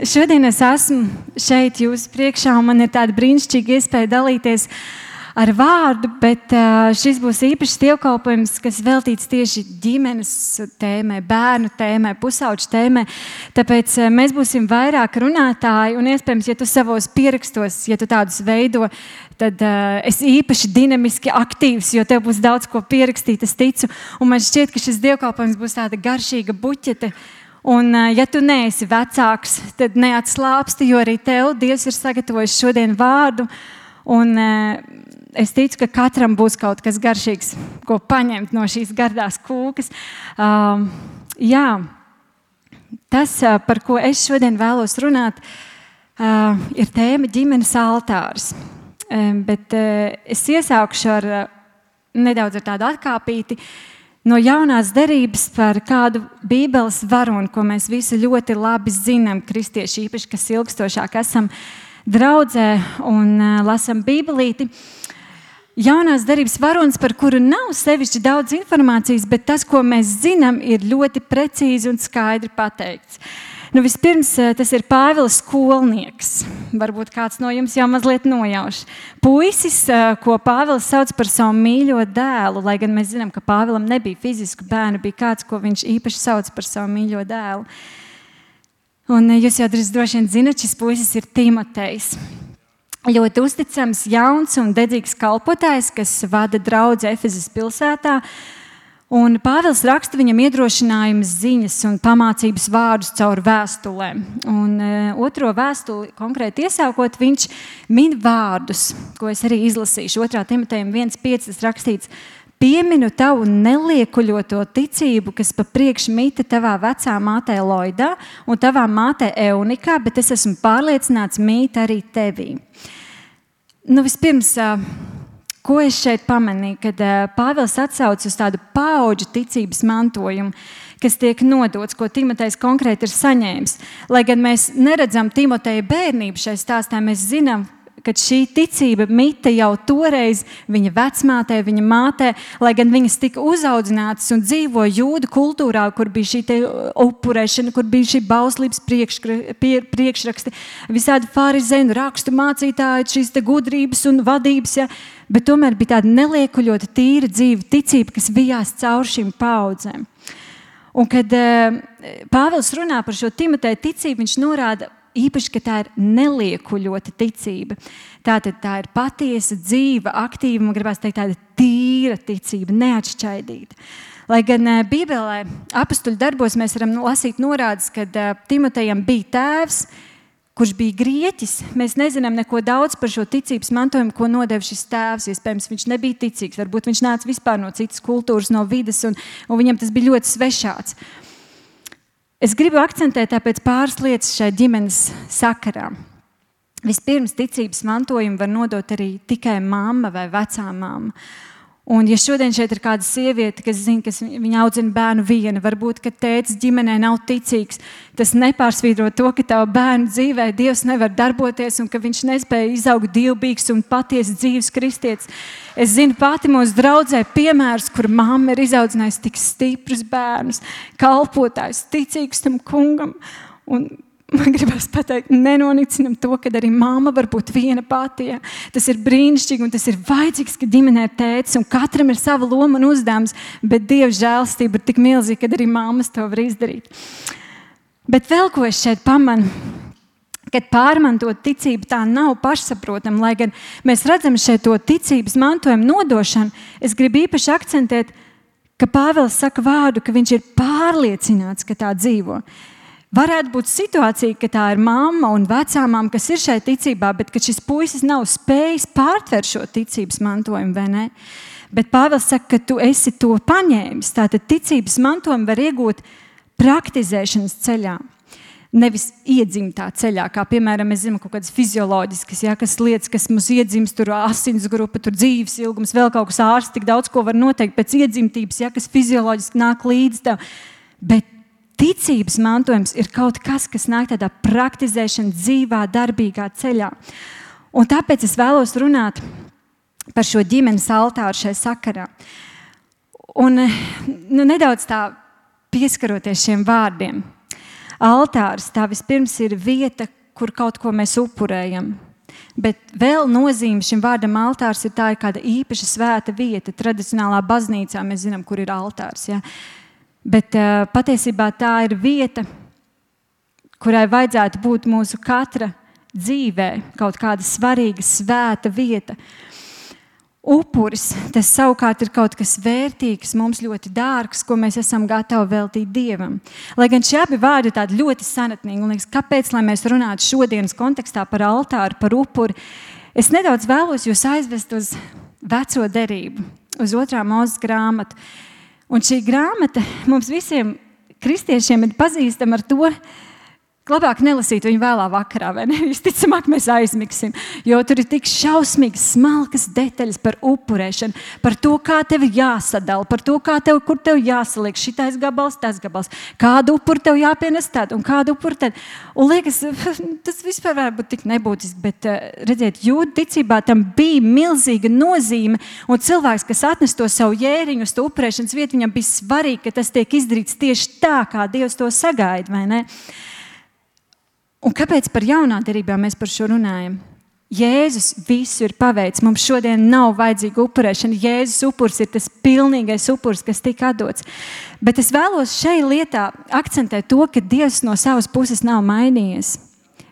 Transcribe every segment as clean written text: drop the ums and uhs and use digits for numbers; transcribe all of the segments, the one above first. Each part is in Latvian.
Šodien es esmu šeit jūsu priekšā, un man ir tāda brīnišķīga iespēja dalīties ar vārdu, bet šis būs īpašs dievkalpojums, kas veltīts tieši ģimenes tēmai, bērnu tēmai, pusauģu tēmai. Tāpēc mēs būsim vairāk runātāji, un iespējams, ja tu savos pierakstos, ja tu tādus veido, tad es īpaši dinamiski aktīvs, jo tev būs daudz ko pierakstīt, es ticu. Un man šķiet, ka šis dievkalpojums būs tāda garšīga buķete. Un, ja tu neesi vecāks, tad neatslāpsti, jo arī tev Dievs ir sagatavojis šodien vārdu. Un es ticu, ka katram būs kaut kas garšīgs, ko paņemt no šīs gardās kūkas. Tas, par ko es šodien vēlos runāt, ir tēma ģimenes altārs. Bet es iesākšu ar nedaudz ar tādu atkāpīti. No jaunās derības par kādu bībeles varoni, ko mēs visi ļoti labi zinām, kristieši īpaši, kas ilgstošāk esam draudzē un lasam bībelīti. Jaunās derības varonis, par kuru nav sevišķi daudz informācijas, bet tas, ko mēs zinām, ir ļoti precīzi un skaidri pateikts. Vispirms tas ir Pāvils skolnieks. Varbūt kāds no jums jau mazliet nojauš. Puisis, ko Pāvils sauc par savu mīļo dēlu, lai gan mēs zinām, ka Pāvilam nebija fizisku bērnu, bija kāds, ko viņš īpaši sauc par savu mīļo dēlu. Un jūs jau droši vien zināt, šis puisis ir Timotejs. Ļoti uzticams, jauns un dedzīgs kalpotājs, kas vada draudzi Efezas pilsētā. Un Pāvils raksta viņam iedrošinājumus, ziņas un pamācības vārdus caur vēstulēm. Un otro vēstuli konkrēti iesākot, viņš min vārdus, ko es arī izlasīšu. 2. Timotejam 1.5. rakstīts: pieminu tavu neliekuļoto ticību, kas pa priekš mīta tavā vecā mātē Loidā un tavā mātē Eunikā, bet es esmu pārliecināts mīt arī tevī. Vispirms, ko es šeit pamanīju, kad Pāvils atsauc uz tādu paudžu ticības mantojumu, kas tiek nodots, ko Timotejs konkrēti ir saņēmis. Lai gan mēs neredzam Timoteja bērnību šai stāstā, mēs zinām, ka šī ticība mita jau toreiz viņa vecmātē, viņa mātē, lai gan viņas tika uzaudzinātas un dzīvo jūdu kultūrā, kur bija šī upurēšana, kur bija šī bauslības priekšraksti, visādi farizēnu rakstu mācītāji, šīs gudrības un vadības, ja, bet tomēr bija tāda neliekuļota, tīra dzīva ticība, kas vijās caur šīm paudzēm. Un kad Pāvils runā par šo Timoteja ticību, viņš norāda īpaši, ka tā ir neliekuļota ticība. Tātad tā ir patiesa, dzīva, aktīva, man gribās teikt, tāda tīra ticība, neatšķaidīta. Lai gan Bībelē apostuļu darbos mēs varam lasīt norādes, kad Timotejam bija tēvs, kurš bija grieķis. Mēs nezinām neko daudz par šo ticības mantojumu, ko nodeva šis tēvs. Iespējams, viņš nebija ticīgs, varbūt viņš nāca vispār no citas kultūras, no vides, un viņam tas bija ļoti svešāds. Es gribu akcentēt tāpēc pāris lietas šai ģimenes sakarā. Vispirms, ticības mantojumu var nodot arī tikai mamma vai vecā mamma. Un ja šodien šeit ir kāda sieviete, kas zina, ka viņa audzina bērnu viena, varbūt, ka tētis ģimenē nav ticīgs, tas nepārsvītro to, ka tava bērnu dzīvē Dievs nevar darboties un ka viņš nespēja izaugt dievbijīgs un patiesi dzīves kristietis. Es zinu pati mūsu draudzē piemērus, kur mamma ir izaudzinājusi tik stiprus bērnus, kalpotājus, ticīgus tam kungam. Un man gribas pateikt, nenonicinam to, ka arī mamma var būt viena pati. Ja. Tas ir brīnišķīgi un tas ir vajadzīgs, ka ģimenē ir tētis un katram ir sava loma un uzdevums, bet Dieva žēlastība ir tik milzīga, ka arī mammas to var izdarīt. Bet vēl ko es šeit pamanu, kad pārmantot ticību tā nav pašsaprotama, lai gan mēs redzam šeit to ticības mantojumu nodošanu, es gribu īpaši akcentēt, ka Pāvils saka vārdu, ka viņš ir pārliecināts, ka tā dzīvo. Varētu būt situācija, ka tā ir mamma un vecāmām, kas ir šai ticībā, bet ka šis puisis nav spējis pārtvert šo ticības mantojumu, vai ne? Bet Pāvils saka, ka tu esi to paņēmis. Tātad ticības mantojumu var iegūt praktizēšanas ceļā. Nevis iedzimtā ceļā, kā piemēram, mēs zinām kaut kādas fizioloģiskas, ja, kas lietas, kas mums iedzimst, tur asins grupa, tur dzīves ilgums, vēl kaut kas ārsts, tik daudz ko var noteikt pēc iedzimtības, ja, kas fizioloģiski nāk līdz tev. Bet ticības mantojums ir kaut kas, kas nāk tādā praktizēšana dzīvā, darbīgā ceļā. Un tāpēc es vēlos runāt par šo ģimenes altāru šai sakarā. Un nedaudz tā pieskaroties šiem vārdiem. altārs, tā vispirms ir vieta, kur kaut ko mēs upurējam. Bet vēl nozīme šim vārdam altārs ir tā ir kāda īpaša svēta vieta. Tradicionālā baznīcā mēs zinām, kur ir altārs. Ja? Bet patiesībā tā ir vieta, kurai vajadzētu būt mūsu katra dzīvē, kaut kāda svarīga, svēta vieta. Upuris, tas savukārt ir kaut kas vērtīgs, mums ļoti dārgs, ko mēs esam gatavi veltīt Dievam. Lai gan šie abi vārdi ir tādi ļoti senatnīgi, un liekas, kāpēc, lai mēs runātu šodienas kontekstā par altāru, par upuri, es nedaudz vēlos jūs aizvest uz veco derību, uz 2. Mūzes grāmatu. Un šī grāmata mums visiem kristiešiem ir pazīstama ar to, labāk nelasīt viņu vēlā vakarā, vai ne? Visticamāk mēs aizmigsim, jo tur ir tik šausmīgas, smalkas detaļas par upurēšanu, par to, kā tev jāsadala, par to, kur tev jāsaliek šitais gabals, tas gabals, kādu upuru tev jāpienes tad un kādu upuru tad. Un liekas, tas vispār varbūt tik nebūtiski, bet redziet, jūdu ticībā tam bija milzīga nozīme, un cilvēks, kas atnes to savu jēriņu uz to upurēšanas vietu, viņam bija svarīgi, ka tas tiek izdarīts tieši tā, kā Dievs to sagaida, vai ne? Un kāpēc par jaunā derībā mēs par šo runājam? Jēzus visu ir paveicis. Mums šodien nav vajadzīga upurēšana. Jēzus upurs ir tas pilnīgais upurs, kas tika atdots. Bet es vēlos šai lietā akcentēt to, ka Dievs no savas puses nav mainījies.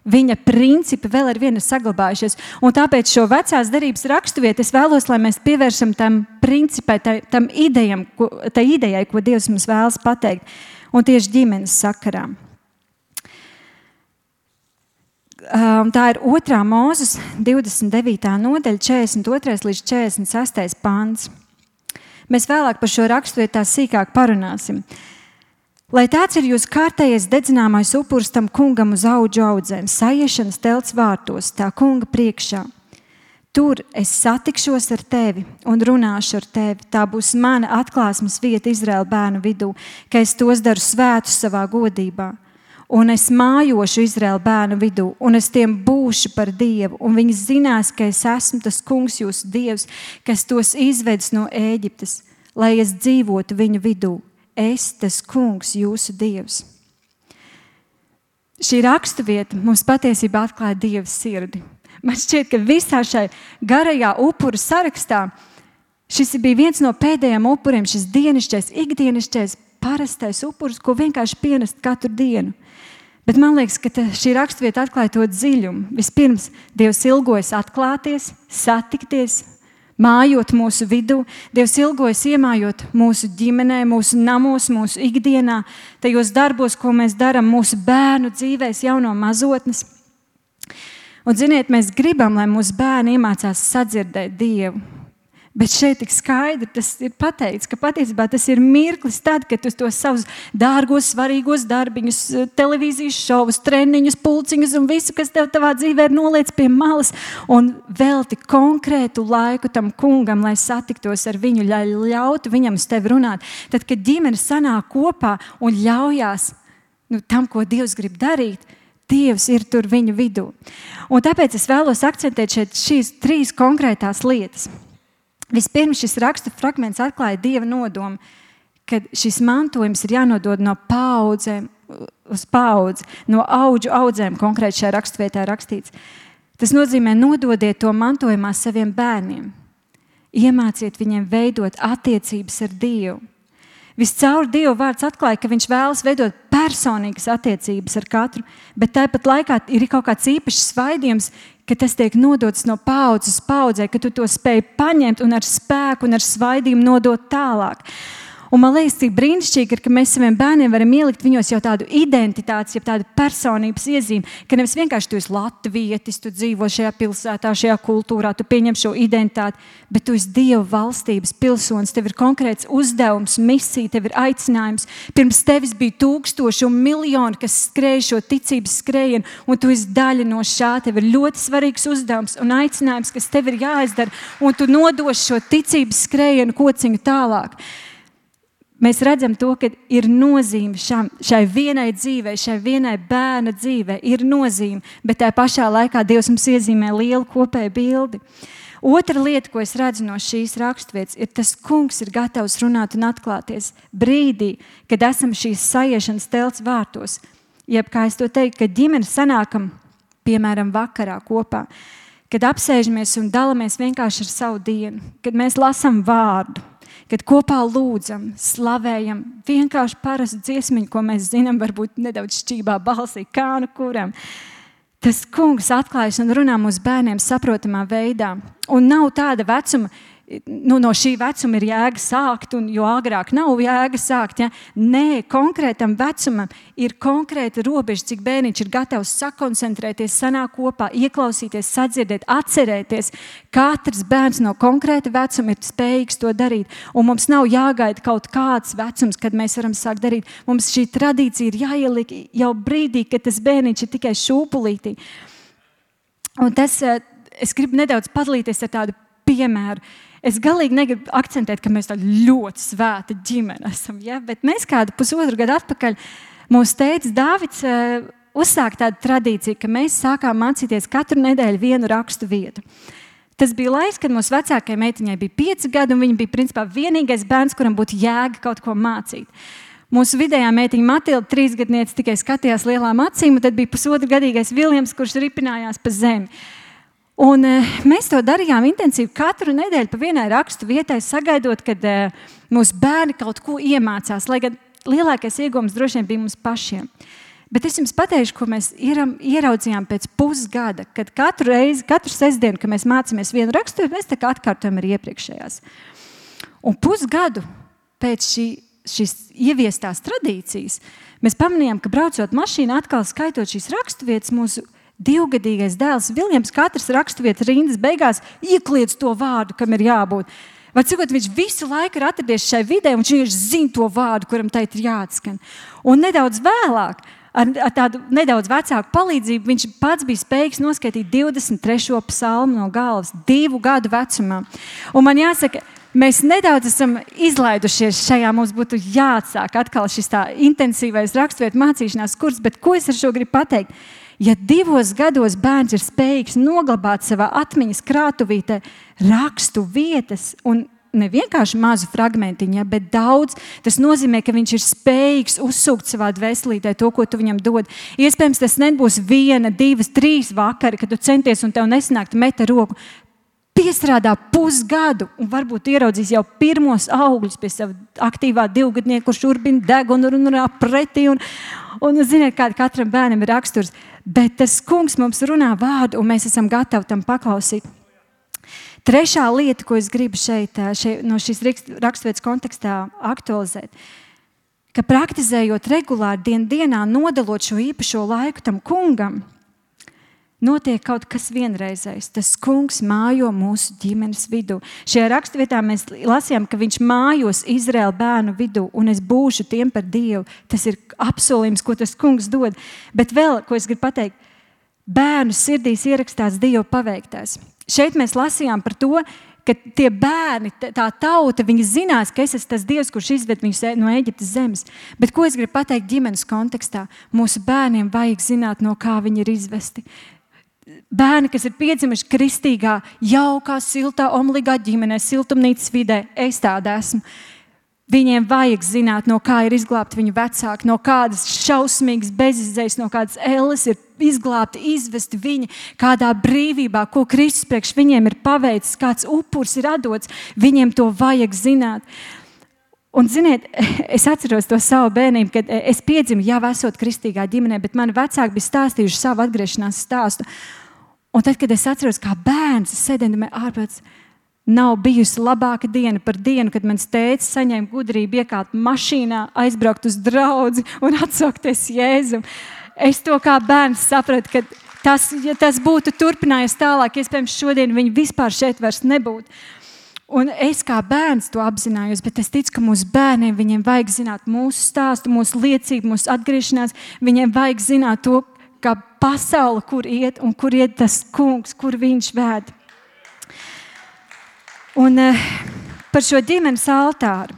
Viņa principi vēl ar vienu ir saglabājušies. Un tāpēc šo vecās derības raksturvietu es vēlos, lai mēs pievēršam tam principai, tam idejai, ko Dievs mums vēlas pateikt. Un tieši ģimenes sakarā. Tā ir 2. Mūzes 29. nodaļa, 42. līdz 46. pants. Mēs vēlāk par šo raksturvietu tā sīkāk parunāsim. Lai tāds ir jūs kārtējais dedzināmais upurs tam kungam uz audžu audzēm, saiešanas telts vārtos, tā kunga priekšā. Tur es satikšos ar tevi un runāšu ar tevi. Tā būs mana atklāsmes vieta Izraēla bērnu vidū, ka es tos daru svētus savā godībā. Un es mājošu Izraēla bērnu vidū, un es tiem būšu par Dievu, un viņi zinās, ka es esmu tas kungs jūsu Dievs, kas tos izvedis no Ēģiptes, lai es dzīvotu viņu vidū. Es, tas kungs, jūsu Dievs. Šī raksturvieta mums patiesībā atklāja Dieva sirdi. Man šķiet, ka visā šai garajā upuru sarakstā šis bija viens no pēdējiem upuriem, šis dienišķais, ikdienišķais, parastais upurs, ko vienkārši pienest katru dienu. Bet man liekas, ka šī raksturvieta atklāja to dziļumu. Vispirms Dievs ilgojas atklāties, satikties, mājot mūsu vidū. Dievs ilgojas iemājot mūsu ģimenē, mūsu namos, mūsu ikdienā, tajos darbos, ko mēs darām mūsu bērnu dzīvēs jau no mazotnes. Un ziniet, mēs gribam, lai mūsu bērni iemācās sadzirdēt Dievu. Bet šeit tik skaidri tas ir pateikts, ka patiesībā tas ir mirklis tad, kad tu tos savus dārgos, svarīgos darbiņus, televīzijas šovus, treniņus, pulciņus un visu, kas tev tavā dzīvē ir noliec pie malas un velti konkrētu laiku tam kungam, lai satiktos ar viņu, lai ļautu viņam uz tevi runāt. Tad, kad ģimene sanāk kopā un ļaujās tam, ko Dievs grib darīt, Dievs ir tur viņu vidū. Un tāpēc es vēlos akcentēt šeit šīs 3 konkrētās lietas. Vispirms šis rakstu fragments atklāja Dieva nodomu, ka šis mantojums ir jānodod no paudzēm uz paudzi, no audžu audzēm, konkrēti šajā raksturvietā rakstīts. Tas nozīmē nododiet to mantojumā saviem bērniem. Iemāciet viņiem veidot attiecības ar Dievu. Viscaur Dieva vārds atklāja, ka viņš vēlas veidot personīgas attiecības ar katru, bet tāpat laikā ir kaut kāds īpašs svaidījums, ka tas tiek nodots no paudzes uz paudzē, ka tu to spēj paņemt un ar spēku un ar svaidījumu nodot tālāk. Un man liekas, cik brīnišķīgi ir, ka mēs saviem bērniem varam ielikt viņos jau tādu identitāti, jau tādu personības iezīmi, ka nevis vienkārši tu esi latvietis, tu dzīvo šajā pilsētā, šajā kultūrā, tu pieņem šo identitāti, bet tu esi Dieva valstības pilsonis, tev ir konkrēts uzdevums, misija, tev ir aicinājums. Pirms tevis bija 1000 un miljoni, kas skrēja šo ticības skrējienu, un tu esi daļa no šā. Tev ir ļoti svarīgs uzdevums un aicinājums, kas tev ir jāizdara, un tu nodoši šo ticības skrējienu kociņu tālāk. Mēs redzam to, ka ir nozīme šai vienai dzīvei, šai vienai bērna dzīvei ir nozīme, bet tā pašā laikā Dievs mums iezīmē lielu kopēju bildi. Otra lieta, ko es redzu no šīs raksturvietas, ir tas kungs ir gatavs runāt un atklāties brīdī, kad esam šīs saiešanas telts vārtos. jeb kā es to teiktu, kad ģimene sanākam, piemēram, vakarā kopā, kad apsēžamies un dalamies vienkārši ar savu dienu, kad mēs lasām vārdu, kad kopā lūdzam, slavējam, vienkārši parastu dziesmiņu, ko mēs zinām, varbūt nedaudz šķībā balsī, kā nu kuram. Tas kungs atklājas un runā mūsu bērniem saprotamā veidā. Un nav tāda vecuma, no šī vecuma ir jēga sākt, un jo agrāk nav jēga sākt. Ja? Nē, konkrētam vecumam ir konkrēta robeža, cik bērniņš ir gatavs sakoncentrēties, sanākt kopā, ieklausīties, sadzirdēt, atcerēties. Katrs bērns no konkrēta vecuma ir spējīgs to darīt, un mums nav jāgaida kaut kāds vecums, kad mēs varam sākt darīt. Mums šī tradīcija ir jāieliek jau brīdī, kad tas bērniņš ir tikai šūpulītī. Un tas, es gribu nedaudz padalīties ar tādu piemēru. Es galīgi negribu akcentēt, ka mēs tādi ļoti svēta ģimene esam, ja? Bet mēs kādu pusotru gadu atpakaļ mūsu tētis Dāvids uzsāka tādu tradīciju, ka mēs sākām mācīties katru nedēļu vienu rakstu vietu. Tas bija laiks, kad mūsu vecākajai meitiņai bija 5 gadi, un viņa bija principā vienīgais bērns, kuram būtu jēga kaut ko mācīt. Mūsu vidējā meitiņa Matilda, 3 gadniece, tikai skatījās lielām acīm, un tad bija pusotrugadīgais Viljams, kurš ripinājās pa zemi. Un mēs to darījām intensīvi katru nedēļu pa vienai rakstu vietai, sagaidot, kad mūsu bērni kaut ko iemācās, lai gan lielākais iegūms droši vien bija mums pašiem. Bet es jums pateikšu, ko mēs ieraudzījām pēc pusgada, kad katru sestdienu, kad mēs mācāmies vienu rakstu, mēs tā kā atkārtojam arī iepriekšējās. Un pusgadu pēc šīs ieviestās tradīcijas, mēs pamanījām, ka braucot mašīnā, atkal skaitot šīs raksturvietas, mūsu 2-gadīgais dēls Viljams katras raksturvietas rindas beigās iekliedz to vārdu, kam ir jābūt. Var cikot, viņš visu laiku ir atradies šai vidē, un viņš zina to vārdu, kuram teikt ir jāatskan. Un nedaudz vēlāk, ar tādu nedaudz vecāku palīdzību, viņš pats bija spējīgs noskaitīt 23. psalmu no galvas 2 gadu vecumā. Un man jāsaka, mēs nedaudz esam izlaidušies šajā, mums būtu jāatsāk atkal šis tā intensīvais raksturvietu mācīšanās kurs, bet ko es ar šo gribu pateikt? Ja 2 gados bērns ir spējīgs noglabāt savā atmiņas krātuvītē rakstu vietas un ne vienkārši mazu fragmentiņu, bet daudz, tas nozīmē, ka viņš ir spējīgs uzsūkt savā dvēselītē to, ko tu viņam dod. Iespējams, tas nebūs 1, 2, 3 vakari, kad tu centies un tev nesanāk, tu meta roku. Piestrādā pusgadu un varbūt ieraudzīs jau pirmos augļus pie sava aktīvā 2-gadnieka, kurš urbina degunu un runā pretī. Un ziniet, kāda katram bērnam ir raksturs. Bet tas kungs mums runā vārdu, un mēs esam gatavi tam paklausīt. Trešā lieta, ko es gribu šeit no šīs raksturvietas kontekstā aktualizēt, ka praktizējot regulāri dienā, nodalot šo īpašo laiku tam kungam, notiek kaut kas vienreizējs. Tas kungs mājo mūsu ģimenes vidū. Šajā raksturvietā mēs lasījām, ka viņš mājos Izraēla bērnu vidū, un es būšu tiem par Dievu. Tas ir apsolījums, ko tas kungs dod. Bet vēl, ko es gribu pateikt, bērnu sirdīs ierakstās Dieva paveiktais. Šeit mēs lasījām par to, ka tie bērni, tā tauta, viņi zinās, ka es esmu tas Dievs, kurš izved viņus no Eģiptes zemes. Bet ko es gribu pateikt ģimenes kontekstā? Mūsu bērniem vajag zināt, no kā viņi ir izvesti. Bērni, kas ir piedzimuši kristīgā, jaukā, siltā, omligā ģimenē, siltumnīcas vidē, es tāda esmu. Viņiem vajag zināt, no kā ir izglābti viņu vecāki, no kādas šausmīgas bezizējas, no kādas elles ir izglābti, izvesti viņi, kādā brīvībā, ko Kristus priekš viņiem ir paveicis, kāds upurs ir atdots, viņiem to vajag zināt. Un, ziniet, es atceros to savu bērnību, kad es piedzimu, jau esot kristīgā ģimenē, bet mani vecāki bija stāstījuši savu atgriešanās stāstu. Un tad, kad es atceros, kā bērns, es sēdēju ārpēc, nav bijusi labāka diena par dienu, kad mans tētis saņēma gudrību iekāpt mašīnā, aizbraukt uz draudzi un atsaukties Jēzum. Es to kā bērns sapratu, ka ja tas būtu turpinājies tālāk, iespējams šodien viņi vispār šeit vairs nebūtu. Un es kā bērns to apzinājos, bet es ticu, ka mūsu bērniem viņiem vajag zināt mūsu stāstu, mūsu liecību, mūsu atgriešanās. Viņiem vajag zināt to, kā pasaule, kur iet un kur iet tas kungs, kur viņš vēd. Un par šo ģimenes altāru.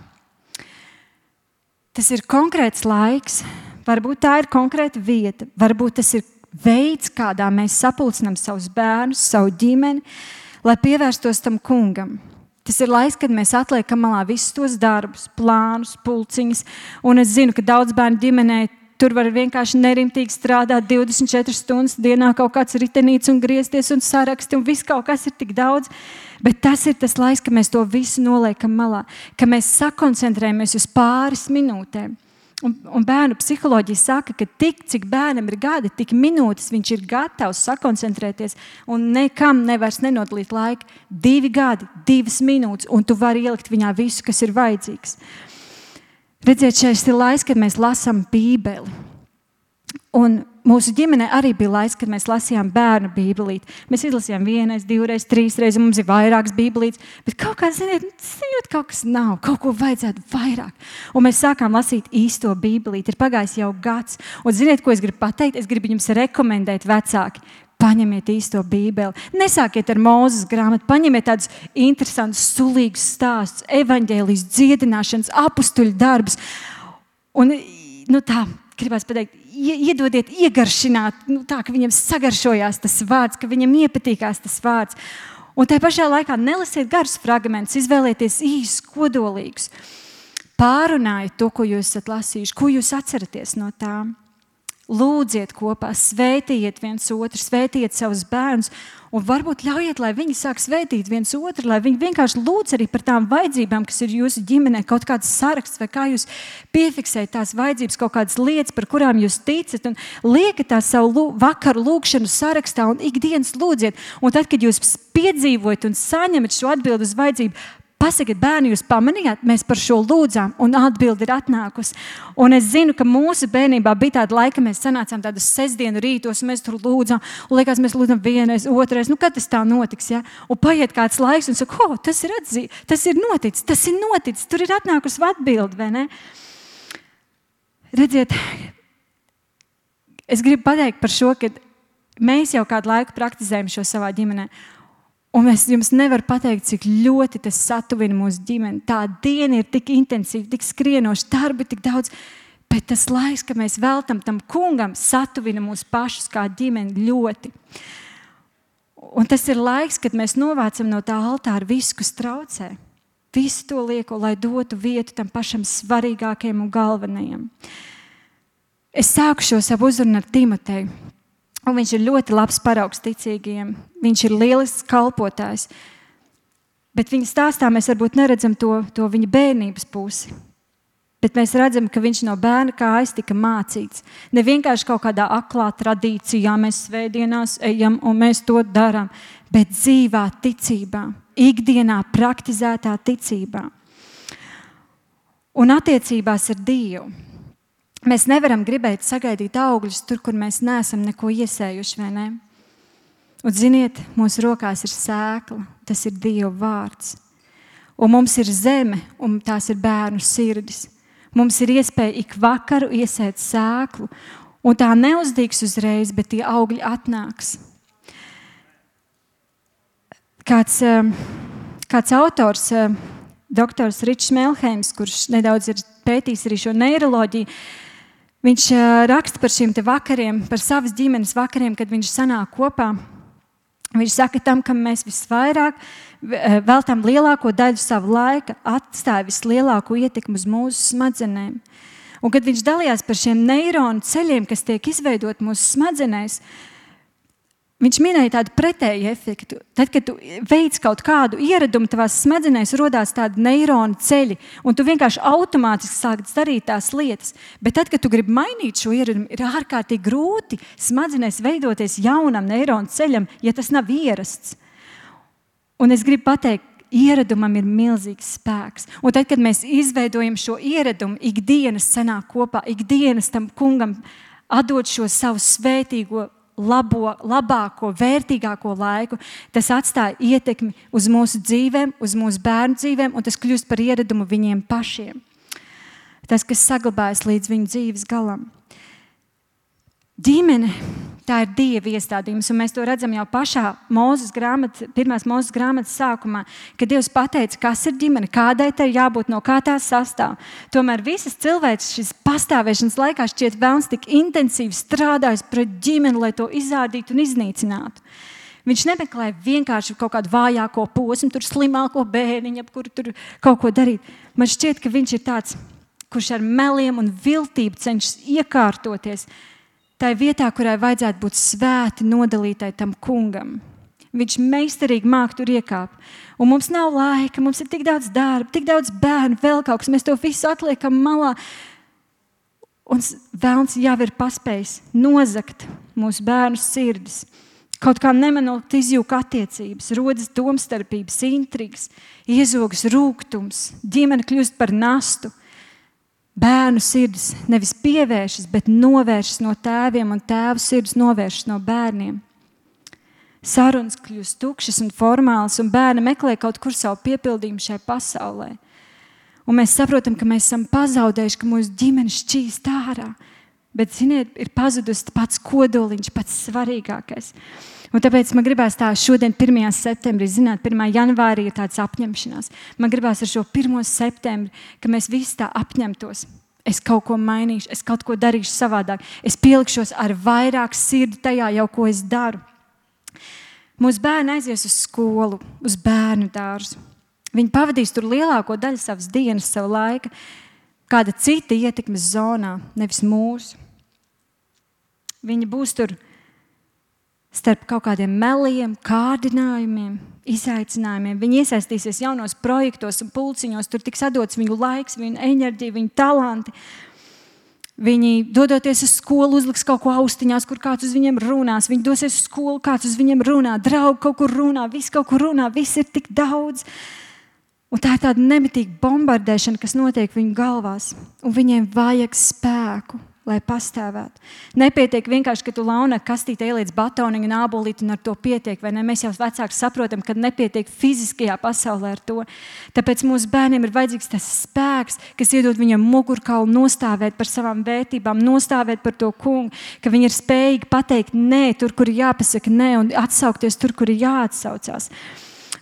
Tas ir konkrēts laiks, varbūt tā ir konkrēta vieta, varbūt tas ir veids, kādā mēs sapulcinām savus bērnus, savu ģimeni, lai pievērstos tam kungam. Tas ir laiks, kad mēs atliekam malā visus tos darbus, plānus, pulciņus. Un es zinu, ka daudz bērnu ģimenē tur var vienkārši nerimtīgi strādāt 24 stundas dienā, kaut kāds ritenīts un griezties un saraksti un viss kaut kas ir tik daudz. Bet tas ir tas laiks, ka mēs to visu noliekam malā, ka mēs sakoncentrējamies uz pāris minūtēm. Un bērnu psiholoģija saka, ka tik, cik bērnam ir gadi, tik minūtes viņš ir gatavs sakoncentrēties un nekam nevairs nenodalīt laiku. 2 gadi, 2 minūtes, un tu vari ielikt viņā visu, kas ir vajadzīgs. Redziet, šeit ir laiks, kad mēs lasām Bībeli. Un mūsu ģimenē arī bija laiks, kad mēs lasījām bērnu bībelīti. Mēs izlasījām 1, 2, 3, un mums ir vairākas bībelītes. Bet kaut kā, ziniet, kaut kas nav, kaut ko vajadzētu vairāk. Un mēs sākām lasīt īsto bībelīti. Ir pagājis jau gads. Un ziniet, ko es gribu pateikt? Es gribu jums rekomendēt vecāki. Paņemiet īsto bībeli. Nesākiet ar Mūzes grāmatu. Paņemiet tādus interesantus, sulīgus stāstus, evaņģēlijas, dziedināšanas, apustuļu darbus. Un, tā, gribās pateikt, iedodiet, iegaršināt, tā, ka viņam sagaršojās tas vārds, ka viņam iepatīkās tas vārds. Un tajā pašā laikā nelasiet garus fragmentus, izvēlieties īsus, kodolīgus. Pārunājiet to, ko jūs esat lasījuši, ko jūs atceraties no tām. Lūdziet kopā, svētījiet viens otru, svētījiet savus bērnus un varbūt ļaujiet, lai viņi sāk svētīt viens otru, lai viņi vienkārši lūdz arī par tām vajadzībām, kas ir jūsu ģimenē, kaut kāds saraksts vai kā jūs piefiksējat tās vajadzības, kaut kādas lietas, par kurām jūs ticat un liekat tā savu vakaru lūkšanu sarakstā un ikdienas lūdziet. Un tad, kad jūs piedzīvojat un saņemat šo atbildi uz vajadzību, pasakiet, bērni, jūs pamanījāt, mēs par šo lūdzām, un atbildi ir atnākusi. Un es zinu, ka mūsu bērnībā bija tāda laika, mēs sanācām tādus sestdienu rītos, un mēs tur lūdzām, un liekas, mēs lūdzam 1, 2, kad tas tā notiks, ja? Un paiet kāds laiks, un saka, tas ir noticis, tur ir atnākusi atbildi, vai ne? Redziet, es gribu pateikt par šo, ka mēs jau kādu laiku praktizējam šo savā ģimenē. Un es jums nevaru pateikt, cik ļoti tas satuvina mūsu ģimeni. Tā diena ir tik intensīva, tik skrienoša, darbi tik daudz. Bet tas laiks, ka mēs veltam tam kungam, satuvina mūs pašus kā ģimeni ļoti. Un tas ir laiks, kad mēs novācam no tā altāra visu, kas traucē. Visu to lieko, lai dotu vietu tam pašam svarīgākajam un galvenajam. Es sāku šo savu uzrunu ar Timoteju. Un viņš ir ļoti labs paraugs ticīgajiem. Viņš ir lielisks kalpotājs. Bet viņa stāstā mēs varbūt neredzam to viņa bērnības pusi. Bet mēs redzam, ka viņš no bērna kājas tika mācīts. Ne vienkārši kaut kādā aklā tradīcijā mēs svētdienās ejam un mēs to darām, bet dzīvā ticībā, ikdienā praktizētā ticībā. Un attiecībās ar Dievu. Mēs nevaram gribēt sagaidīt augļus tur, kur mēs neesam neko iesējuši, vai ne? Un ziniet, mūsu rokās ir sēkla, tas ir Dieva vārds. Un mums ir zeme, un tās ir bērnu sirdis. Mums ir iespēja ik vakaru iesēt sēklu, un tā neuzdīgs uzreiz, bet tie augļi atnāks. Kāds autors, doktors Ričs Melheims, kurš nedaudz ir pētījis arī šo neiroloģiju, viņš raksta par šiem te vakariem, par savas ģimenes vakariem, kad viņš sanāk kopā. Viņš saka, tam, kam mēs visvairāk veltam lielāko daļu savu laika, atstāja vislielāko ietekmi uz mūsu smadzenēm. Un kad viņš dalījās par šiem neironu ceļiem, kas tiek izveidot mūsu smadzenēs, viņš minēja tādu pretēju efektu. Tad, kad tu veic kaut kādu ieradumu, tavās smadzenēs rodās tādi neironu ceļi, un tu vienkārši automātiski sāc darīt tās lietas. Bet tad, kad tu gribi mainīt šo ieradumu, ir ārkārtīgi grūti smadzenēs veidoties jaunam neironu ceļam, ja tas nav ierasts. Un es gribu pateikt, ieradumam ir milzīgs spēks. Un tad, kad mēs izveidojam šo ieradumu, ikdienas sanāk kopā, ikdienas tam kungam atdot šo savu svētīgo labāko, vērtīgāko laiku, tas atstāja ietekmi uz mūsu dzīvēm, uz mūsu bērnu dzīvēm, un tas kļūst par ieradumu viņiem pašiem. Tas, kas saglabājas līdz viņu dzīves galam. Ģimene, tā ir Dieva iestādījums, un mēs to redzam jau pašā pirmās Mūzes grāmatas sākumā, kad Dievs pateica, kas ir ģimene, kādai tai jābūt, no kā tās sastāv. Tomēr visas cilvēks šis pastāvēšanas laikā šķiet velns tik intensīvi strādājis pret ģimeni, lai to izārdītu un iznīcinātu. Viņš nemeklē vienkārši kaut kādu vājāko posmu, tur slimāko bērniņu, ap kuru tur kaut ko darīt. Man šķiet, ka viņš ir tāds kurš ar meliem un viltību cenšas iekārtoties tai vietā, kurai vajadzētu būt svēti nodalītai tam kungam. Viņš meistarīgi māk tur iekāpt. Un mums nav laika, mums ir tik daudz darba, tik daudz bērnu, vēl kaut kas. Mēs to visu atliekam malā. Un velns jau ir paspējis nozagt mūsu bērnu sirdis. Kaut kā nemanot izjūg attiecības, rodas domstarpības, intrigas, iezogas rūgtums, ģimene kļūst par nastu. Bērnu sirdis nevis pievēršas, bet novēršas no tēviem, un tēvu sirdis novēršas no bērniem. Sarunas kļūst tukšas un formālas, un bērni meklē kaut kur savu piepildījumu šai pasaulē. Un mēs saprotam, ka mēs esam pazaudējuši, ka mūsu ģimene šķīst ārā. Bet, ziniet, ir pazudus pats kodoliņš, pats svarīgākais. Un tāpēc man gribās tā šodien 1. septembrī, zināt, 1. janvārī ir tāds apņemšanās. Man gribās ar šo 1. septembri, ka mēs visi tā apņemtos. Es kaut ko mainīšu, es kaut ko darīšu savādāk. Es pielikšos ar vairāk sirdi tajā jau, ko es daru. Mūsu bērni aizies uz skolu, uz bērnu dārzu. Viņi pavadīs tur lielāko daļu savas dienas, savu laika, kāda cita ietekmes zonā, nevis mūsu. Viņi būs tur starp kaut kādiem meliem, kārdinājumiem, izaicinājumiem. Viņi iesaistīsies jaunos projektos un pulciņos, tur tiks atdots viņu laiks, viņu enerģija, viņu talanti. Viņi, dodoties uz skolu, uzliks kaut ko austiņās, kur kāds uz viņiem runās. Viņi dosies uz skolu, kāds uz viņiem runā. Draugi kaut kur runā, viss kaut kur runā, viss ir tik daudz. Un tā ir tāda nemitīga bombardēšana, kas notiek viņu galvās. Un viņiem vajag spēku, lai pastāvētu. Nepietiek vienkārši, ka tu launa kastītē ieliec batoniņu un ābolīti un ar to pietiek, vai ne? Mēs jau vecāki saprotam, ka nepietiek fiziskajā pasaulē ar to. Tāpēc mūsu bērniem ir vajadzīgs tas spēks, kas iedod viņam mugurkaulu nostāvēt par savām vērtībām, nostāvēt par to kungu, ka viņi ir spējīgi pateikt nē, tur, kur ir jāpasaka nē, un atsaukties tur, kur ir jāatsaucās.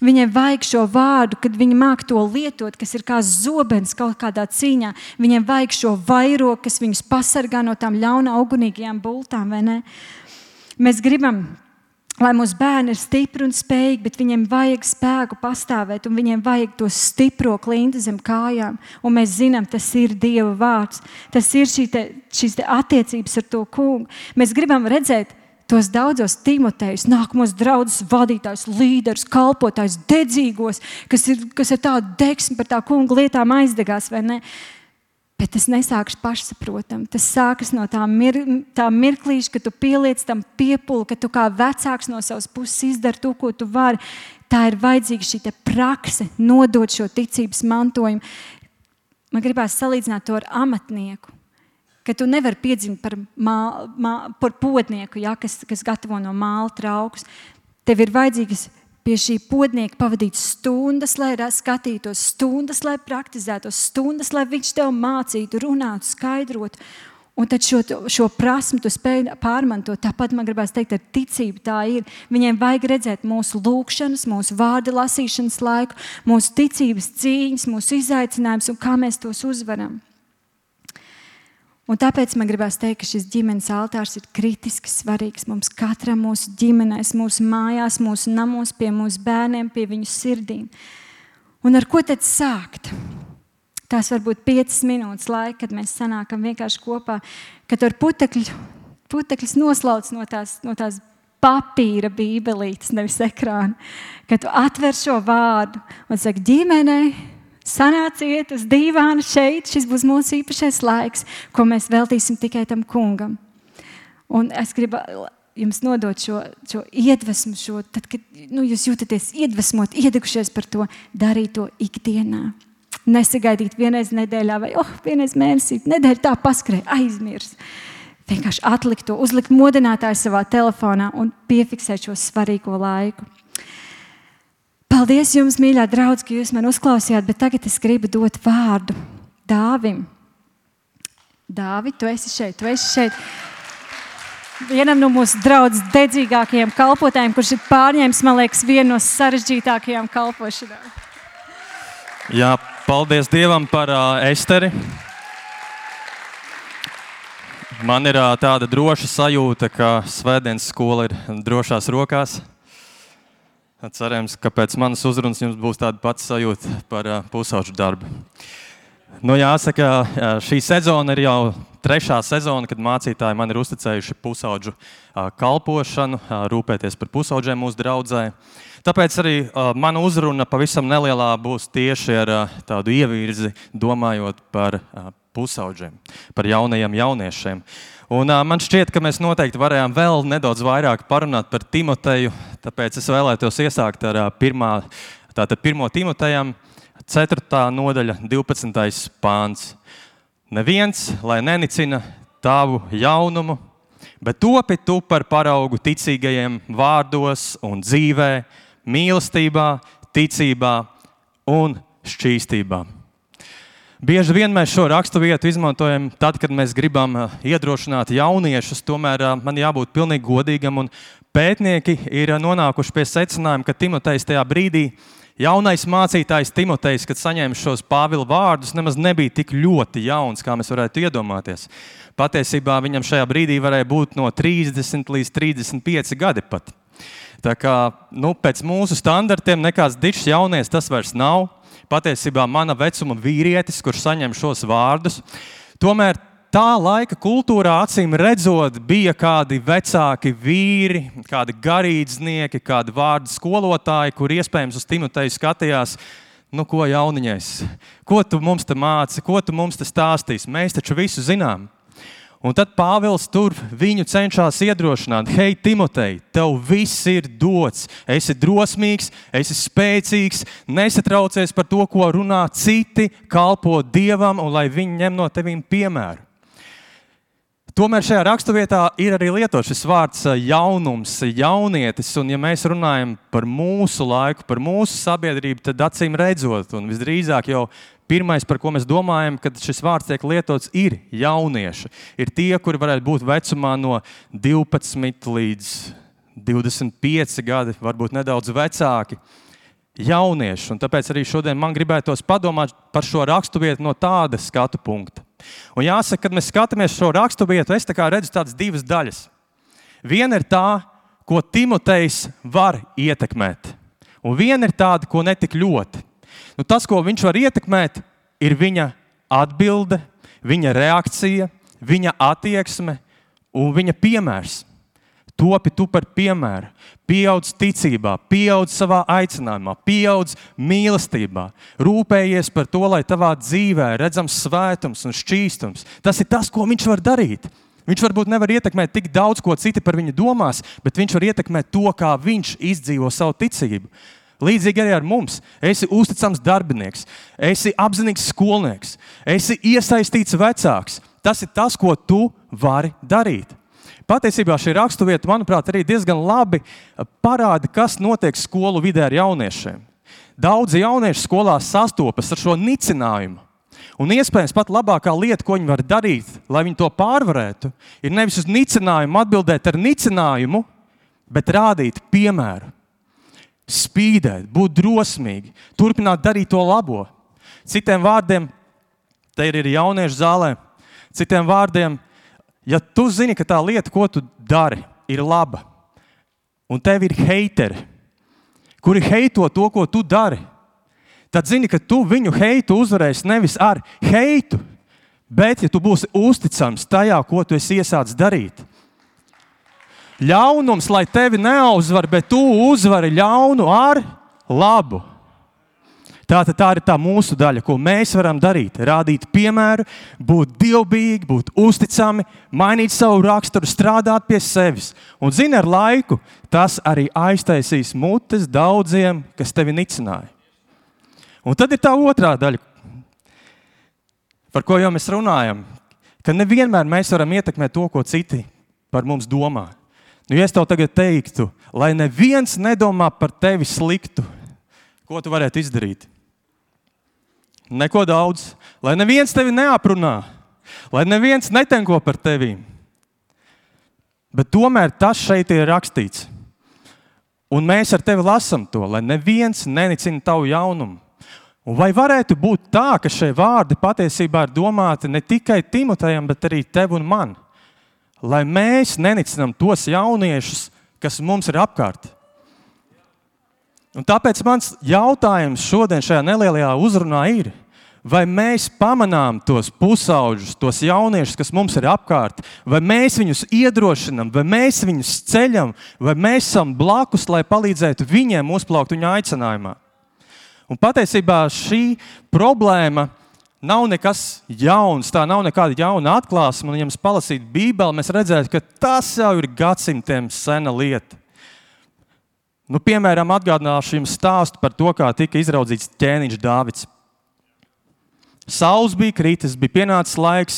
Viņiem vajag šo vārdu, kad viņi māk to lietot, kas ir kā zobens kaut kādā cīņā. Viņiem vajag šo vairogu, kas viņus pasargā no tām ļauna augunīgajām bultām, vai ne? Mēs gribam, lai mūsu bērni ir stipri un spējīgi, bet viņiem vajag spēku pastāvēt, un viņiem vajag to stipro klinti zem kājām. Un mēs zinām, tas ir Dieva vārds. Tas ir šīs attiecības ar to kungu. Mēs gribam redzēt tos daudzos Timotejus, nākamos draudzes vadītājus, līderus, kalpotājus, dedzīgos, kas ir tādu deksmi par tā kunga lietām aizdegās, vai ne? Bet tas nesākas pašsaprotam. Tas sākas no tā mirklīša, ka tu pieliec tam piepuli, ka tu kā vecāks no savas puses izdari to, ko tu vari. Tā ir vajadzīga šī prakse, nodot šo ticības mantojumu. Man gribās salīdzināt to ar amatnieku. Ka tu nevari piedzimt par podnieku, ja, kas gatavo no māla traukus. Tev ir vajadzīgas pie šī podnieka pavadīt stundas, lai skatītos, stundas, lai praktizētos, stundas, lai viņš tev mācītu, runātu, skaidrotu. Un tad šo prasmu tu spēj pārmantot. Tāpat man gribās teikt, ar ticību tā ir. Viņiem vajag redzēt mūsu lūkšanas, mūsu vārda lasīšanas laiku, mūsu ticības cīņas, mūsu izaicinājumus un kā mēs tos uzvaram. Un tāpēc man gribās teikt, ka šis ģimenes altārs ir kritiski svarīgs mums katram mūsu ģimenēs, mūsu mājās, mūsu namos, pie mūsu bērniem, pie viņu sirdīm. Un ar ko tad sākt? Tās varbūt 5 minūtes laika, kad mēs sanākam vienkārši kopā, kad ar putekļus noslauc no tās papīra bībelītes, nevis ekrāna. Kad tu atver šo vārdu un saki ģimenei, sanāciet uz dīvāna šeit, šis būs mūsu īpašais laiks, ko mēs veltīsim tikai tam kungam. Un es gribu jums nodot šo iedvesmu, tad, kad jūs jūtaties iedvesmot, iedegušies par to, darīt to ikdienā. Nesagaidīt vienreiz nedēļā vai vienreiz mēnesī, nedēļa tā paskrēja, aizmirs. Vienkārši atlikt to, uzlikt modinātāju savā telefonā un piefiksēt šo svarīgo laiku. Paldies jums, mīļā draudz, ka jūs man uzklausījāt, bet tagad es gribu dot vārdu Dāvim. Dāvi, tu esi šeit. Vienam no mūsu draudzes dedzīgākajiem kalpotājiem, kurš ir pārņēmis, man liekas, vienu no sarežģītākajām kalpošanām. Jā, paldies Dievam par Esteri. Man ir tāda droša sajūta, ka svētdienas skola ir drošās rokās. Cerams, ka pēc manas uzrunas jums būs tāda pati sajūta par pusauģu darbu. Jāsaka, šī sezona ir jau 3. sezona, kad mācītāji man ir uzticējuši pusaudžu kalpošanu, rūpēties par pusaudžiem mūsu draudzē. Tāpēc arī mana uzruna pavisam nelielā būs tieši ar tādu ievirzi, domājot par pusaudžiem, par jaunajiem jauniešiem. Un man šķiet, ka mēs noteikti varējām vēl nedaudz vairāk parunāt par Timoteju, tāpēc es vēlētos iesākt ar 1. Timotejam, 4. nodaļa, 12. pāns. Neviens, lai nenicina tavu jaunumu, bet topi tu par paraugu ticīgajiem vārdos un dzīvē, mīlestībā, ticībā un šķīstībā. Bieži vien mēs šo raksturvietu izmantojam tad, kad mēs gribam iedrošināt jauniešus, tomēr man jābūt pilnīgi godīgam, un pētnieki ir nonākuši pie secinājuma, ka Timotejs tajā brīdī, jaunais mācītājs Timotejs, kad saņēma šos Pāvila vārdus, nemaz nebija tik ļoti jauns, kā mēs varētu iedomāties. Patiesībā viņam šajā brīdī varēja būt no 30 līdz 35 gadi pat. Tā kā, pēc mūsu standartiem nekāds dišs jaunies tas vairs nav. Patiesībā mana vecuma vīrietis, kurš saņem šos vārdus. Tomēr tā laika kultūrā, acīm redzot, bija kādi vecāki vīri, kādi garīdznieki, kādi vārdu skolotāji, kur iespējams uz Timoteju skatījās, ko jauniņais, ko tu mums te māci, ko tu mums te stāstīsi, mēs taču visu zinām. Un tad Pāvils tur viņu cenšas iedrošināt. Hei, Timotej, tev viss ir dots. Esi drosmīgs, esi spēcīgs, nesatraucies par to, ko runā citi, kalpo Dievam un lai viņi ņem no tevīm piemēru. Tomēr šajā raksturvietā ir arī lietots šis vārds jaunums, jaunietis, un ja mēs runājam par mūsu laiku, par mūsu sabiedrību, tad acīm redzot, un visdrīzāk jau pirmais, par ko mēs domājam, kad šis vārds tiek lietots, ir jaunieši. Ir tie, kuri varētu būt vecumā no 12 līdz 25 gadi, varbūt nedaudz vecāki. Jaunieši, un tāpēc arī šodien man gribētos padomāt par šo raksturvietu no tāda skatu punkta. Un jāsaka, kad mēs skatāmies šo raksturvietu, es redzu tādas divas daļas. Viena ir tā, ko Timotejs var ietekmēt, un viena ir tāda, ko netik ļoti. Tas, ko viņš var ietekmēt, ir viņa atbilde, viņa reakcija, viņa attieksme un viņa piemērs. Topi tu par piemēru, pieaudz ticībā, pieaudz savā aicinājumā, pieaudz mīlestībā, rūpējies par to, lai tavā dzīvē redzams svētums un šķīstums. Tas ir tas, ko viņš var darīt. Viņš varbūt nevar ietekmēt tik daudz, ko citi par viņu domās, bet viņš var ietekmēt to, kā viņš izdzīvo savu ticību. Līdzīgi arī ar mums. Esi uzticams darbinieks, esi apzinīgs skolnieks, esi iesaistīts vecāks. Tas ir tas, ko tu vari darīt. Patiesībā šī raksturvieta, manuprāt, arī diezgan labi parāda, kas notiek skolu vidē ar jauniešiem. Daudzi jaunieši skolā sastopas ar šo nicinājumu. Un iespējams pat labākā lieta, ko viņi var darīt, lai viņi to pārvarētu, ir nevis uz nicinājumu atbildēt ar nicinājumu, bet rādīt piemēru. Spīdēt, būt drosmīgi, turpināt darīt to labo. Citiem vārdiem, te ir jauniešu zālē, citiem vārdiem, ja tu zini, ka tā lieta, ko tu dari, ir laba, un tev ir heiteri, kuri heito to, ko tu dari, tad zini, ka tu viņu heitu uzvarēsi nevis ar heitu, bet ja tu būsi uzticams tajā, ko tu esi iesācis darīt. Ļaunums, lai tevi neuzvar, bet tu uzvari ļaunu ar labu. Tā ir tā mūsu daļa, ko mēs varam darīt. Rādīt piemēru, būt dievbijīgi, būt uzticami, mainīt savu raksturu, strādāt pie sevis. Un zini, ar laiku tas arī aiztaisīs mutes daudziem, kas tevi nicināja. Un tad ir tā otrā daļa, par ko jau mēs runājam, ka nevienmēr mēs varam ietekmēt to, ko citi par mums domā. Ja es tev tagad teiktu, lai neviens nedomā par tevi sliktu, ko tu varētu izdarīt? Neko daudz. Lai neviens tevi neaprunā, lai neviens netenko par tevi. Bet tomēr tas šeit ir rakstīts. Un mēs ar tevi lasam to, lai neviens nenicina tavu jaunumu. Un vai varētu būt tā, ka šie vārdi patiesībā ir domāti ne tikai Timotejam, bet arī tev un man? Lai mēs nenicinām tos jauniešus, kas mums ir apkārt. Un tāpēc mans jautājums šodien šajā nelielajā uzrunā ir, vai mēs pamanām tos pusauģus, tos jauniešus, kas mums ir apkārt, vai mēs viņus iedrošinām, vai mēs viņus ceļam, vai mēs esam blakus, lai palīdzētu viņiem uzplaukt viņa aicinājumā. Un patiesībā šī problēma nav nekas jauns, tā nav nekāda jauna atklāsme, un ja mēs palasītu Bībeli, mēs redzētu, ka tas jau ir gadsimtiem sena lieta. Nu, piemēram, atgādināšu jums stāstu par to, kā tika izraudzīts ķēniņš Dāvids. Sauls bija kritis, bija pienācis laiks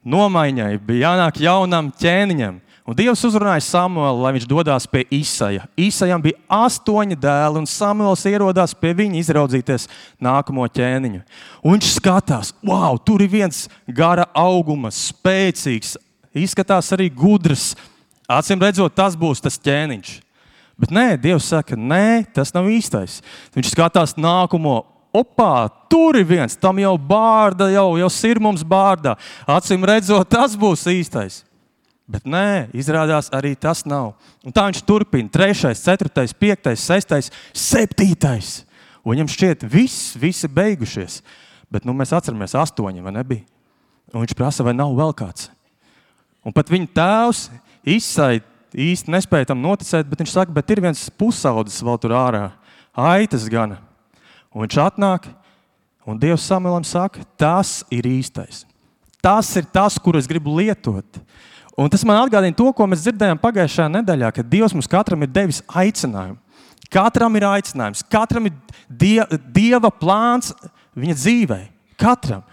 nomaiņai, bija jānāk jaunam ķēniņam. Un Dievs uzrunāja Samuelu, lai viņš dodās pie Isaja. Isajam bija 8 dēli, un Samuels ierodās pie viņa izraudzīties nākamo ķēniņu. Un viņš skatās, wow, tur ir viens gara auguma, spēcīgs, izskatās arī gudrs. Acīm redzot, tas būs tas ķēniņš. Bet nē, Dievs saka, nē, tas nav īstais. Viņš skatās nākamo, opā, tur ir viens, tam jau bārda, jau sirmums bārdā. Acīm redzot, tas būs īstais. Bet nē, izrādās arī tas nav. Un tā viņš turpina, 3., 4., 5., 6., 7. Un viņam šķiet, visi beigušies. Bet nu, mēs atceramies 8, vai nebija? Un viņš prasa, vai nav vēl kāds. Un pat viņa tēvs Isai īsti nespēja tam noticēt, bet viņš saka, bet ir viens pusaudzis vēl tur ārā, aitas gana. Un viņš atnāk, un Dievs Samuelam saka, tas ir īstais. Tas ir tas, kuru es gribu lietot. Un tas man atgādina to, ko mēs dzirdējām pagājušajā nedēļā, ka Dievs mums katram ir devis aicinājumu. Katram ir aicinājums, katram ir Dieva plāns viņa dzīvē. Katram.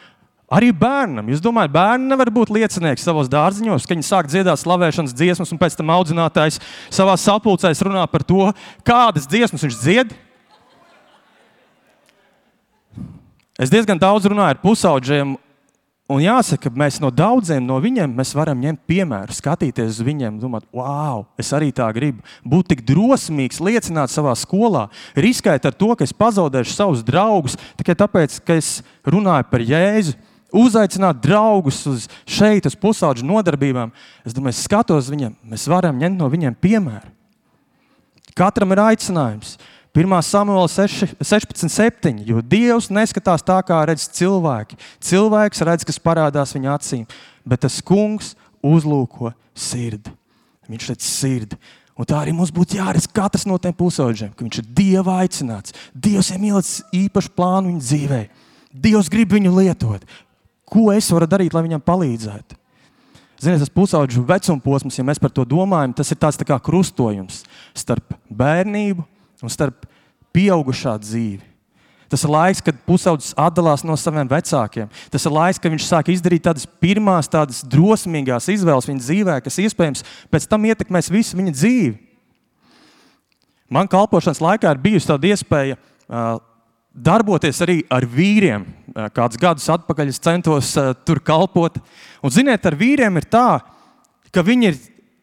Arī bērnam. Jūs domājat, bērni nevar būt liecinieki savos dārziņos, ka viņi sāk dziedāt slavēšanas dziesmas un pēc tam audzinātājs savā sapulcēs runā par to, kādas dziesmas viņš dzied? Es diezgan daudz runāju ar pusauģiem, un jāsaka, mēs no daudziem no viņiem mēs varam ņemt piemēru, skatīties uz viņiem, domāt, wow, es arī tā gribu. Būt tik drosmīgs, liecināt savā skolā, riskēt ar to, ka es pazaudēšu savus draugus, tikai tāpēc, ka es runāju par Jēzu. Uzaicināt draugus uz pusauģu nodarbībām. Es domāju, es skatos viņiem, mēs varam ņemt no viņiem piemēru. Katram ir aicinājums. 1. Samuela 16:7, jo Dievs neskatās tā, kā redz cilvēki. Cilvēks redz, kas parādās viņa acīm, bet tas kungs uzlūko sirdi. Viņš redz sirdi. Un tā arī mums būtu jāredz katrs no tiem pusauģiem, ka viņš ir Dieva aicināts. Dievs ir ielicis īpašu plānu viņa dzīvē. Dievs grib viņu lietot. Ko es varu darīt, lai viņam palīdzētu? Ziniet, tas pusauģu vecuma posms, ja mēs par to domājam, tas ir tāds tā kā krustojums starp bērnību un starp pieaugušā dzīvi. Tas ir laiks, kad pusaudzis atdalās no saviem vecākiem. Tas ir laiks, kad viņš sāk izdarīt tādas pirmās, tādas drosmīgās izvēles viņa dzīvē, kas iespējams pēc tam ietekmēs visu viņa dzīvi. Man kalpošanas laikā ir bijusi tāda iespēja darboties arī ar vīriem. Kādus gadus atpakaļ es centos tur kalpot. Un ziniet, ar vīriem ir tā, ka viņi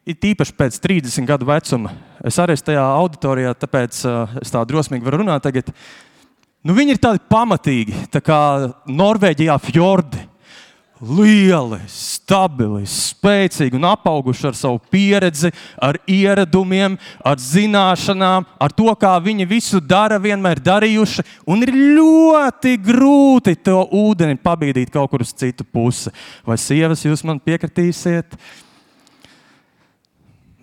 ir tīpaši pēc 30 gadu vecuma. Es arī esmu tajā auditorijā, tāpēc es tā drosmīgi varu runāt tagad. Nu, viņi ir tādi pamatīgi, tā kā Norvēģijā fjordi. Lieli, stabili, spēcīgi un apauguši ar savu pieredzi, ar ieradumiem, ar zināšanām, ar to, kā viņi visu dara, vienmēr darījuši. Un ir ļoti grūti to ūdeni pabīdīt kaut kur uz citu pusi. Vai sievas, jūs man piekritīsiet?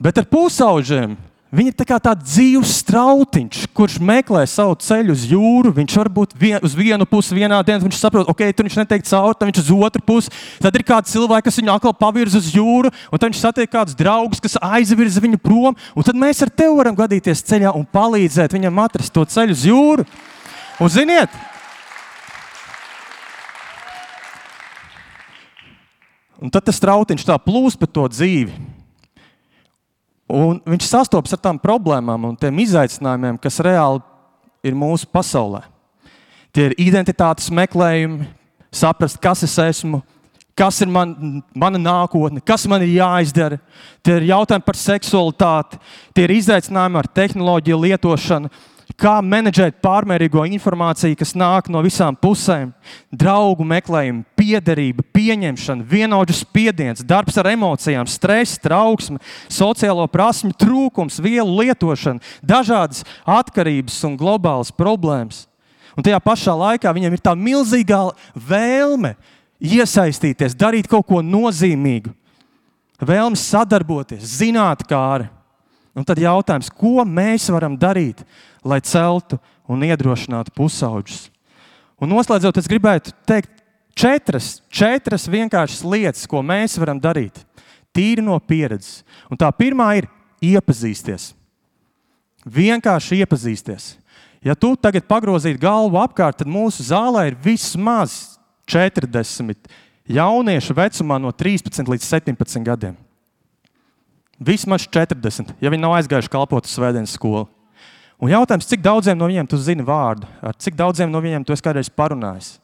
Bet ar pusauģiem viņi ir tā kā tāds dzīves strautiņš, kurš meklē savu ceļu uz jūru. Viņš var būt uz vienu pusi vienā dienā, viņš saprot, ok, tur viņš netiek cauri, tad viņš uz otru pusi. Tad ir kādi cilvēki, kas viņu atkal pavirza uz jūru, un tad viņš satiek kādus draugus, kas aizvirza viņu prom, un tad mēs ar tevi varam gadīties ceļā un palīdzēt viņam atrast to ceļu uz jūru. Un ziniet, un tad tas strautiņš tā plūst pa to dzīvi. Un viņš sastopas ar tām problēmām un tiem izaicinājumiem, kas reāli ir mūsu pasaulē. Tie ir identitātes meklējumi, saprast, kas es esmu, kas ir mana nākotne, kas man ir jāizdara. Tie ir jautājumi par seksualitāti, tie ir izaicinājumi ar tehnoloģiju lietošanu, kā menedžēt pārmērīgo informāciju, kas nāk no visām pusēm, draugu meklējumi, piederība, pieņemšana, vienaudžu spiediens, darbs ar emocijām, stress, trauksme, sociālo prasmju trūkums, vielu lietošana, dažādas atkarības un globālas problēmas. Un tajā pašā laikā viņiem ir tā milzīgā vēlme iesaistīties, darīt kaut ko nozīmīgu, vēlme sadarboties, zinātkāri. Un tad jautājums, ko mēs varam darīt, lai celtu un iedrošinātu pusauģus? Un noslēdzot, es gribētu teikt četras vienkāršas lietas, ko mēs varam darīt, tīri no pieredzes. Un tā pirmā ir iepazīsties. Vienkārši iepazīsties. Ja tu tagad pagrozītu galvu apkārt, tad mūsu zālē ir vismaz 40 jauniešu vecumā no 13 līdz 17 gadiem. Vismaz 40, ja viņi nav aizgājuši kalpot uz svētdienas skolu. Un jautājums, cik daudziem no viņiem tu zini vārdu, ar cik daudziem no viņiem tu esi kādreiz parunājis.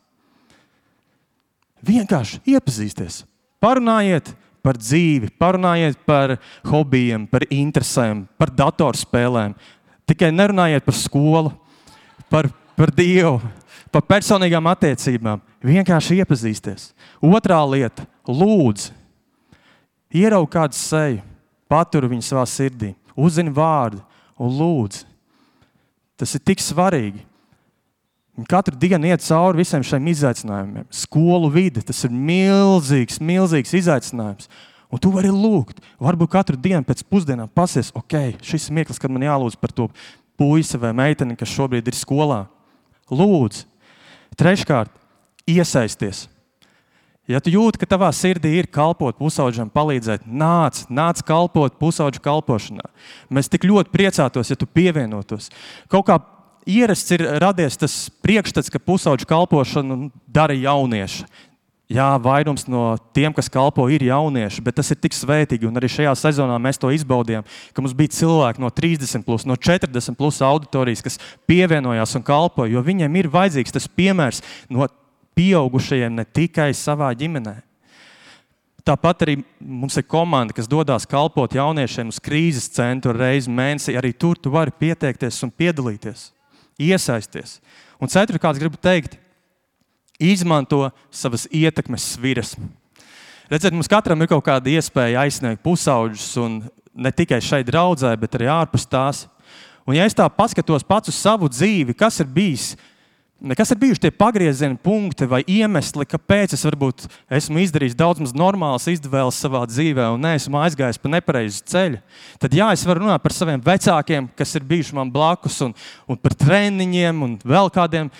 Vienkārši iepazīsties. Parunājiet par dzīvi, parunājiet par hobijiem, par interesēm, par datorspēlēm. Tikai nerunājiet par skolu, par Dievu, par personīgām attiecībām. Vienkārši iepazīsties. Otrā lieta – lūdz. Ieraugi kādu seju, paturi viņu savā sirdī, uzzini vārdu un lūdz. Tas ir tik svarīgi. Un katru dienu iet cauri visiem šiem izaicinājumiem. Skolu vide, tas ir milzīgs izaicinājums. Un tu vari lūgt. Varbūt katru dienu pēc pusdienām pasies, ok, šis ir mirklis, kad man jālūdz par to puisi vai meiteni, kas šobrīd ir skolā. Lūdz. Treškārt, iesaisties. Ja tu jūti, ka tavā sirdī ir kalpot pusauģam, palīdzēt, nāc kalpot pusauģu kalpošanā. Mēs tik ļoti priecātos, ja tu pievienotos. Kaut kā ierasts ir radies tas priekšstats, ka pusauģu kalpošanu dara jaunieši. Jā, vairums no tiem, kas kalpo, ir jaunieši, bet tas ir tik svētīgi. Un arī šajā sezonā mēs to izbaudījām, ka mums bija cilvēki no 30+, no 40+ auditorijas, kas pievienojās un kalpoja, jo viņiem ir vajadzīgs tas piemērs no pieaugušajiem ne tikai savā ģimenē. Tāpat arī mums ir komanda, kas dodās kalpot jauniešiem uz krīzes centru reizi mēnesī. Arī tur tu vari pieteikties un piedalīties. Iesaisties. Un ceturkārt, gribu teikt, izmanto savas ietekmes sviras. Redziet, mums katram ir kaut kāda iespēja aizsniegt pusauģus, un ne tikai šeit draudzē, bet arī ārpus tās. Un ja es tā paskatos pats uz savu dzīvi, kas ir bijuši tie pagriezieni punkti vai iemesli, kāpēc es varbūt esmu izdarījis daudz maz normālas izvēles savā dzīvē un neesmu aizgājis pa nepareizu ceļu, tad jā, es varu runāt par saviem vecākiem, kas ir bijuši man blakus, un par treniņiem un vēl kādiem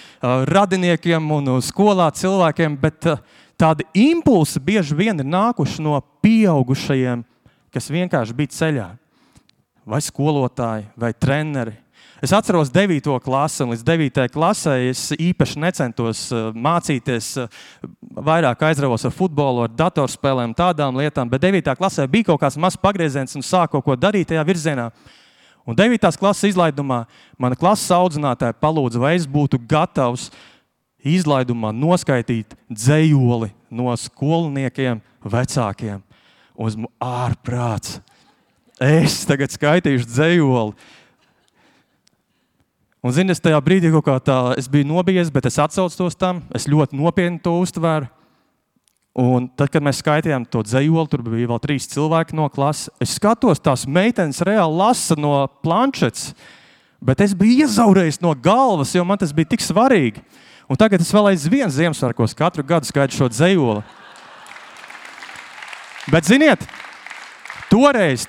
radiniekiem un skolā cilvēkiem, bet tādi impulsi bieži vien ir nākuši no pieaugušajiem, kas vienkārši bija ceļā. Vai skolotāji, vai treneri. Es atceros 9. klasi, un līdz 9. klasē es īpaši necentos mācīties, vairāk aizravos ar futbolu, ar datorspēlēm, tādām lietām, bet 9. klasē bija kaut kāds mazs pagrieziens un sāku kaut ko darīt tajā virzienā. Un 9. klases izlaidumā mana klases audzinātāja palūdza, vai es būtu gatavs izlaidumā noskaitīt dzejoli no skolniekiem vecākiem. Un esmu ārprāts. Es tagad skaitīšu dzejoli. Un zini, es tajā brīdī kaut kā tā, es biju nobijies, bet es atsaucu tos tam, es ļoti nopietni to uztvēru. Un tad, kad mēs skaitījām to dzejoli, tur bija vēl 3 cilvēki no klases, es skatos, tās meitenes reāli lasa no planšetes, bet es biju iezaurējis no galvas, jo man tas bija tik svarīgi. Un tagad es vēl aizvien Ziemassvētkos katru gadu skaitu šo dzejoli. Bet ziniet, toreiz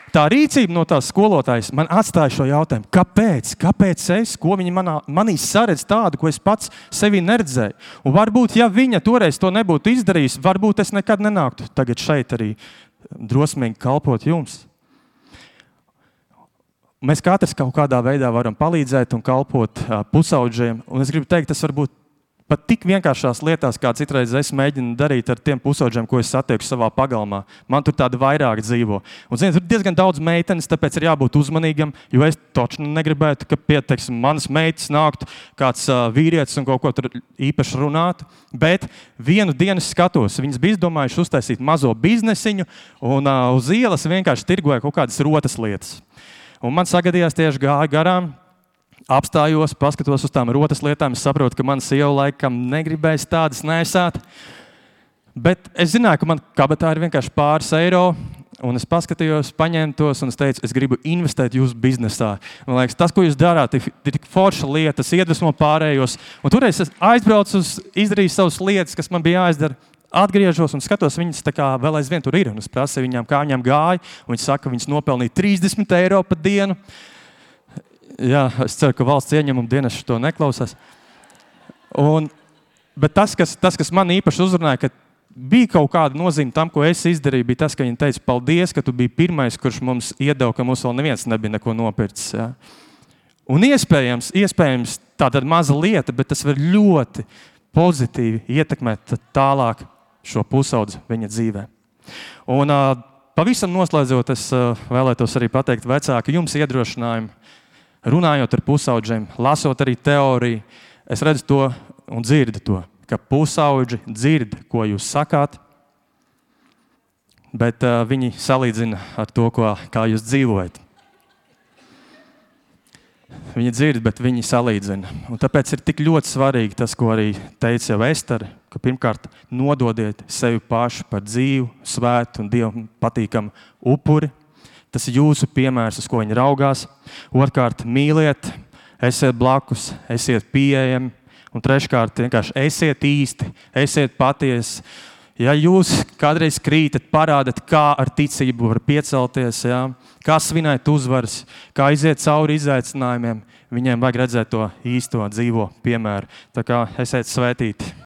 tā rīcība no tās skolotājas man atstāja šo jautājumu. Kāpēc es? Ko viņa manī saredz tādu, ko es pats sevī neredzēju? Un varbūt, ja viņa toreiz to nebūtu izdarījis, varbūt es nekad nenāktu tagad šeit arī drosmīgi kalpot jums. Mēs katrs kaut kādā veidā varam palīdzēt un kalpot pusauģiem. Un es gribu teikt, tas varbūt pat tik vienkāršās lietās, kā citreiz es mēģinu darīt ar tiem pusauģiem, ko es satieku savā pagalmā. Man tur tādi vairāk dzīvo. Un, zini, tur diezgan daudz meitenes, tāpēc ir jābūt uzmanīgam, jo es toču negribētu, ka pieteiksim, manas meitas nāktu kāds vīrietis un kaut ko tur īpaši runātu. Bet vienu dienu skatos, viņas bija izdomājuši uztaisīt mazo biznesiņu un uz ielas vienkārši tirgoja kaut kādas rotas lietas. Un man sagadījās tieši gāja garām, apstājos, paskatos uz tām rotas lietām, es saprotu, ka mana sieva laikam negribēs tādas nesāt. Bet es zināju, ka man kabatā ir vienkārši pāris eiro, un es paskatījos, paņēmu tos, un es teicu, es gribu investēt jūsu biznesā. Man liekas, tas, ko jūs darāt, ir tik forša lieta, tas iedvesmo pārējos. Un toreiz es aizbraucu izdarīju savas lietas, kas man bija jāizdara. Atgriežos un skatos, viņas tā kā vēl aizvien tur ir. Un es prasīju viņām, kā viņām gāja, un viņi saka, ka viņas nopelnīja 30 eiro pa dienu. Jā, es ceru, ka valsts ieņēmuma dienas to neklausās. Bet tas, kas man īpaši uzrunāja, ka bija kaut kāda nozīme tam, ko es izdarīju, bija tas, ka viņi teica, paldies, ka tu biji pirmais, kurš mums iedeva, ka mums vēl neviens nebija neko nopircis. Ja? Un iespējams, tāda maza lieta, bet tas var ļoti pozitīvi ietekmēt tālāk šo pusaudzi viņa dzīvē. Un pavisam noslēdzot, es vēlētos arī pateikt vecāki, jums iedrošinājumu, runājot ar pusaudžiem, lasot arī teoriju, es redzu to un dzirdu to, ka pusauģi dzird, ko jūs sakāt, bet viņi salīdzina ar to, kā jūs dzīvojat. Viņi dzird, bet viņi salīdzina. Un tāpēc ir tik ļoti svarīgi tas, ko arī teica jau Estere, ka pirmkārt nododiet sevi pašu par dzīvu, svētu un Dievam patīkamu upuri. Tas ir jūsu piemērs, uz ko viņi raugās. Otrkārt, mīliet, esiet blakus, esiet pieejami. Un treškārt, vienkārši esiet īsti, esiet patiesi. Ja jūs kādreiz krītat, parādat, kā ar ticību var piecelties, ja? Kā svinēt uzvaras, kā iziet cauri izaicinājumiem, viņiem vajag redzēt to īsto dzīvo piemēru. Tā kā esiet svētīti.